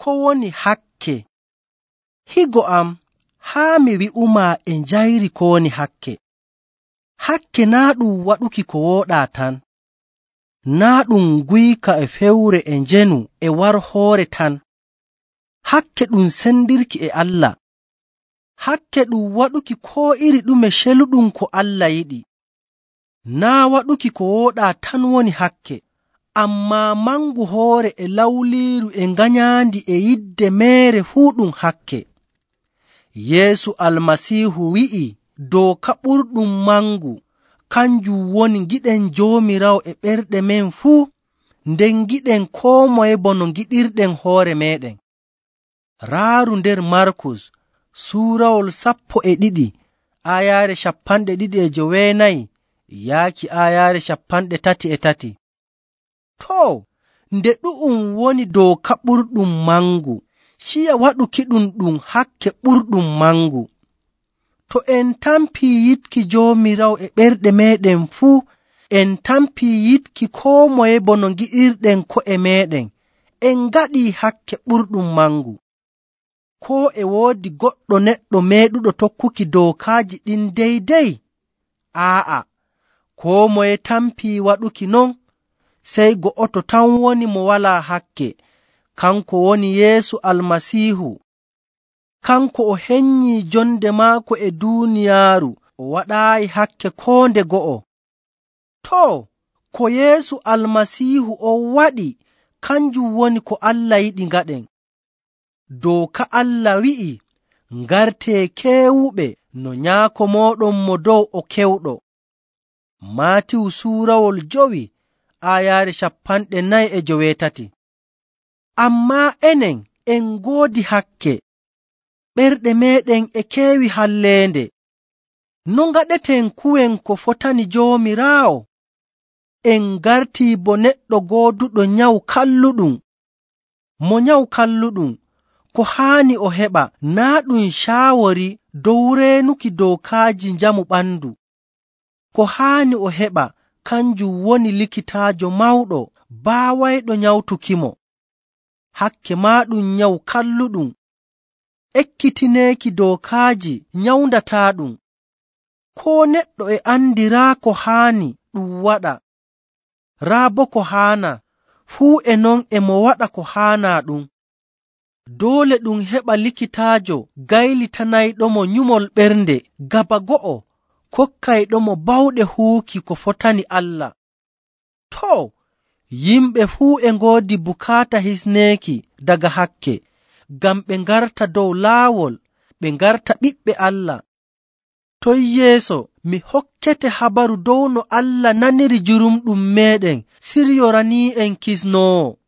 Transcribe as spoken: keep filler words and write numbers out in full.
ko woni hakke. Higo am, haa mi wi'umaa e njayri ko woni hakke. Hakke naa ɗum waɗuki ko wooɗaa tan, naa ɗum guyka e fewre e njenu e warhoore tan. Hakke ɗum sendirki e Allah. Hakke ɗum waɗuki koo iri ɗume celuɗum ko Allah yiɗi. Naa waɗuki ko wooɗaa tan woni hakke, ammaa mangu hoore e lawliiru e nganyaandi e yidde meere fuu ɗum hakke. Yeesu Almasiihu wi'i dooka ɓurɗum mangu kanjum woni ngiɗen Joomiraawo e ɓerɗe men fuu, nden ngiɗen koo moye bono ngiɗirɗen hoore meeɗen. Raaru nder Markus suurawol sappo e ɗiɗi aayaare cappanɗe ɗiɗi e joweenayi yaaki aayaare cappanɗe tati e tati. Too, nde ɗu'um woni dooka ɓurɗum mangu, ciya waɗukiɗum ɗum hakke ɓurɗum mangu. To en tampii yiɗki Joomiraawo e ɓerɗe meeɗen fuu, en tampii yiɗki koo moye bono ngiɗirɗen ko'e meeɗen, en ngaɗii hakke ɓurɗum mangu. Koo e woodi goɗɗo neɗɗo meeɗuɗo tokkuki dookaaji ɗin deydey? Aa'a, koo moye tampii waɗuki non, sey go'oto tan woni mo walaa hakke, kanko woni Yeesu Almasiihu. Kanko o henyii jonde maako e duuniyaaru, o waɗaayi hakke koo nde go'o. Too, ko Yeesu Almasiihu on waɗi, kanjum woni ko Allah yiɗi ngaɗen. Dooka Allah wi'i, ngartee keewuɓe no Nyaako mooɗon mo dow o kewɗo. Maatiwu suurawol jowi aayaare cappanɗe nayi e joweetati. Ammaa enen en ngoodi hakke, ɓerɗe meeɗen e keewi halleende. No ngaɗeten kuwen ko fotani Joomiraawo? En ngartii bo neɗɗo gooduɗo nyawu kalluɗum. Mo nyawu kalluɗum, ko haani o heɓa naa ɗum caawori dow reenuki dookaaji njamu ɓandu. Ko haani o heɓa kanjum woni likitaajo mawɗo baawayɗo nyawtukimo. Hakke maaɗum nyawu kalluɗum. Ekkitineeki dookaaji nyawndataaɗum. Koo neɗɗo e andiraa ko haani ɗum waɗa, raa boo ko haana, fuu e non e mo waɗa ko haanaa ɗum. Doole ɗum heɓa likitaajo gaylitanayɗomo nyumol ɓernde gaba go'o, kokkayɗomo bawɗe huuki ko fotani Allah. Too, yimɓe fuu e ngoodi bukaata hisneeki daga hakke, ngam ɓe ngarta dow laawol, ɓe ngarta ɓiɓɓe Allah. Toy yeeso mi hokkete habaru dow no Allah naniri jurumɗum meeɗen siryoranii'en kisnoowo.